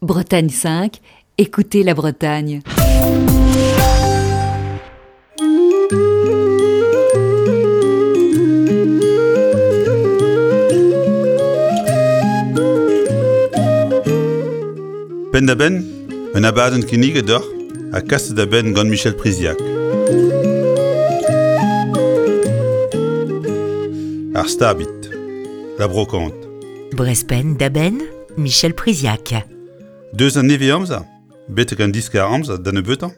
Bretagne 5, écoutez la Bretagne. Penn-da-benn, un abadenn kinniget deoc'h ha kaset da benn gant Michel Priziac. Ar stabit, la brocante. Brest penn-da-benn, Michel Priziac. Deus an nevez-amzer betek an diskar-amzer da nebeutañ,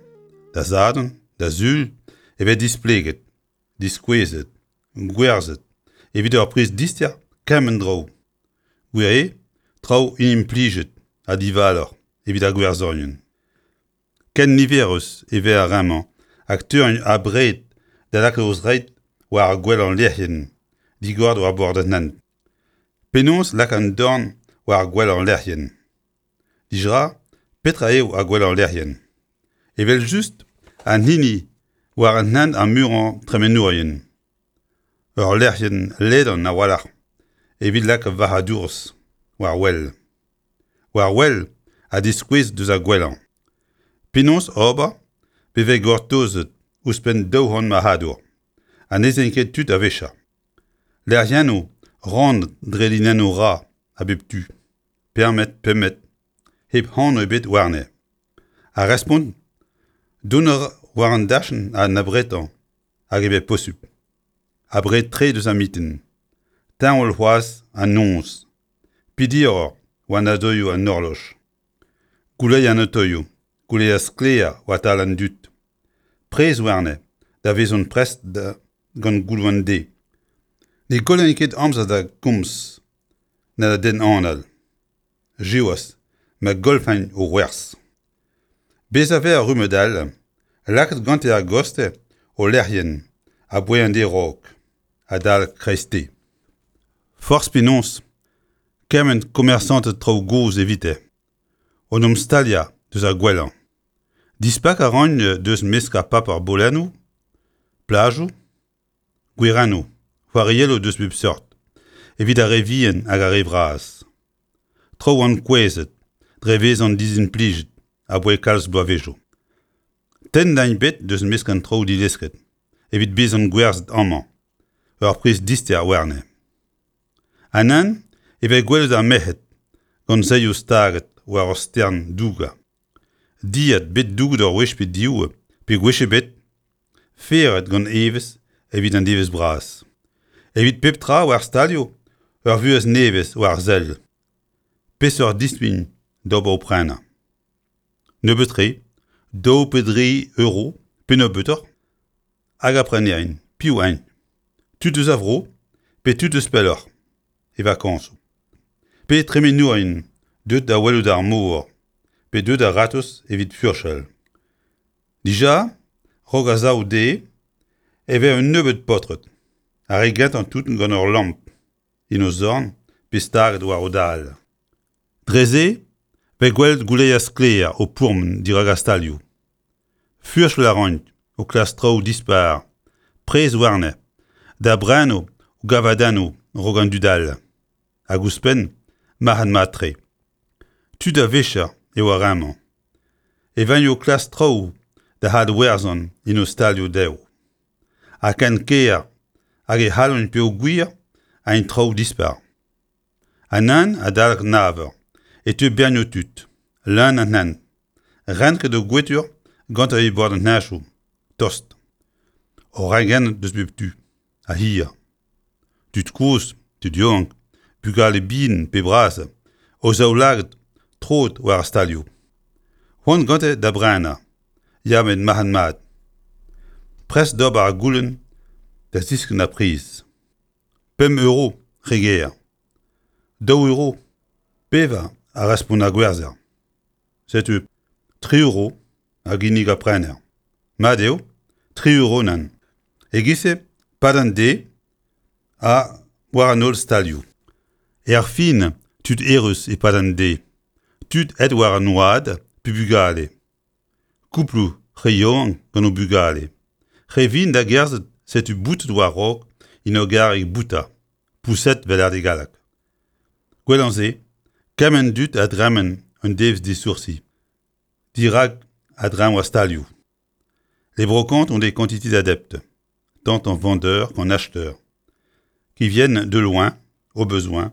da Sadorn, da Sul, e vez displeget, diskouezet, gwerzhet evit ur priz dister kement draoù. Gwir eo, traoù inimplijet ha divaloc'h evit ar gwerzhourien. Ken niverus e vez ar re-mañ hag teuint abred da lakaat o zreid war ar gwellañ lec'hienn digor war bord an hent. Penaos lakaat an dorn war ar gwellañ lec'hienn? Dija, petra eo ar gwellañ lec'hienn? Evel-just an hini war an hent ar muiañ tremenourien. Ur lec'hienn ledan a-walc'h evit lakaat varc'hadourezh war wel. War wel ha diskouez deus ar gwellañ. Penaos ober pe vez gortozet ouzhpenn 200 marc'hadour ha n'ez int ket tud a-wechoù. Lec'hiennoù rannet dre linennoù ra a bep tu, permet pemmet, hep anv ebet warne. Ar respont, dont a ra war an dachenn an abretañ hag e vez posupl. Abred-tre deus ar mintin. Teñval c'hoazh an noz. Pidiroc'h war nadoioù an horloj. Gouleier an otoioù, gouleier sklaer war tal an dud. Prez warne da vezont prest da gant gouloù an deiz. Ne gollan ket amzer da gomz na da denn anal. Siwazh, ma golfagn o gwerzh. Bezañ 'vez ur rummad all, lakaet gante a-gostez o lec'hienn aboae an deiz-raok, adal kreisteiz. Forzh penaos, kement komersanted traoù gozh evite, o'n em staliañ deus ar gwellañ. Dispak a ran deus mesk ar paper bolennoù, plajoù, gwerennoù, c'hoarielloù deus bep seurt, evit ar re vihan hag ar re vras. Traoù ankouezet dre vezañ dizimplijet aboae kalz bloavezhioù. Tenn int bet deus mesk an traoù dilesket evit bezañ gwerzhet amañ, ur priz dister warne. Anan e vez gwelet ar merc'hed gant saeoù staget war ur stern dougañ. Dilhad bet douget ur wech pe div pe gwech ebet, feret gant evezh evit an devezh bras. Evit pep tra war stalioù ur vuhez nevez war sell. Peseurt dispign d'ober o prenañ? Nebeut-tre, daou pe dri euro pe nebeutoc'h, hag ar prenerien, piv int? Tud eus a vro pe tud eus pelloc'h e vakañsoù? Pe tremenourien deuet da welout ar mor pe deuet a-ratozh evit furchal? Dija, 'raok ar sav dezhe e vez un nebeud paotred, ar re gentañ tout gant ur lamp en o zorn pe staget war o dal. Dre-se 'vez gwelet gouleier sklaer o pourmen dirak ar stalioù. Furchal a raint o klask traoù dispar, prez warne, da brenañ o gavadennoù 'raok an dud all. Hag ouzhpenn, marc'had-mat-tre. Tud a vicher eo ar re-mañ. E vaint o klask traoù da adwerzhañ en o stalioù dezho. Ha ken ker hag e c'hallont peogwir int traoù dispar. An hent adalek nav eur e teu bernioù tud, leun an hent, renket o gwetur gantañ e bord an heñchoù, tost. O rengennet deus bep tu, ha hir. Tud kozh, tud yaouank, bugale bihan pe bras, o zaoulagad troet war ar stalioù. C'hoant gante da brenañ, ya met marc'had-mat. Prest d'ober ar goulenn da ziskenn ar priz. Pemp euro, re ger. Daou euro, pevar, a respont ar gwerzher. Setu tri euro a ginnig ar prener. Mat eo, tri euro nann. E-giz-se, 'pad an deiz ha war an holl stalioù. Erfin, tud errus e-pad an deiz, tud aet war an oad pe bugale. Kouploù re yaouank gant o bugale. Re vihan da gerzhet setu boutet war-raok en ur garreg boutañ, pouset 'vel ar galleg. Gwellañ se, kement dud a dremen un devezh disoursi dirak a-dreñv ar stalioù. Les brocantes ont des quantités d'adeptes, tant en vendeurs qu'en acheteurs, qui viennent de loin, au besoin,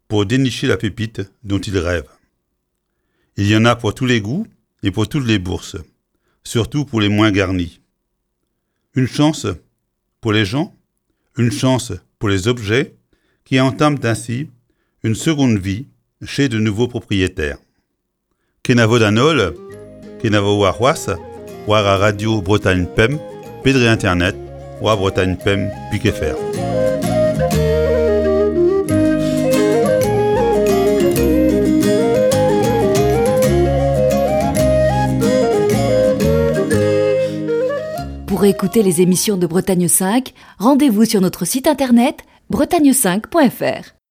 pour dénicher la pépite dont ils rêvent. Il y en a pour tous les goûts et pour toutes les bourses, surtout pour les moins garnis. Une chance pour les gens, une chance pour les objets qui entament ainsi une seconde vie chez de nouveaux propriétaires. Kenavo d'an holl, kenavo warc'hoazh war ar radio Bretagne Pemp pe dre internet war bretagne5.fr. Pour écouter les émissions de Bretagne 5, rendez-vous sur notre site internet bretagne5.fr.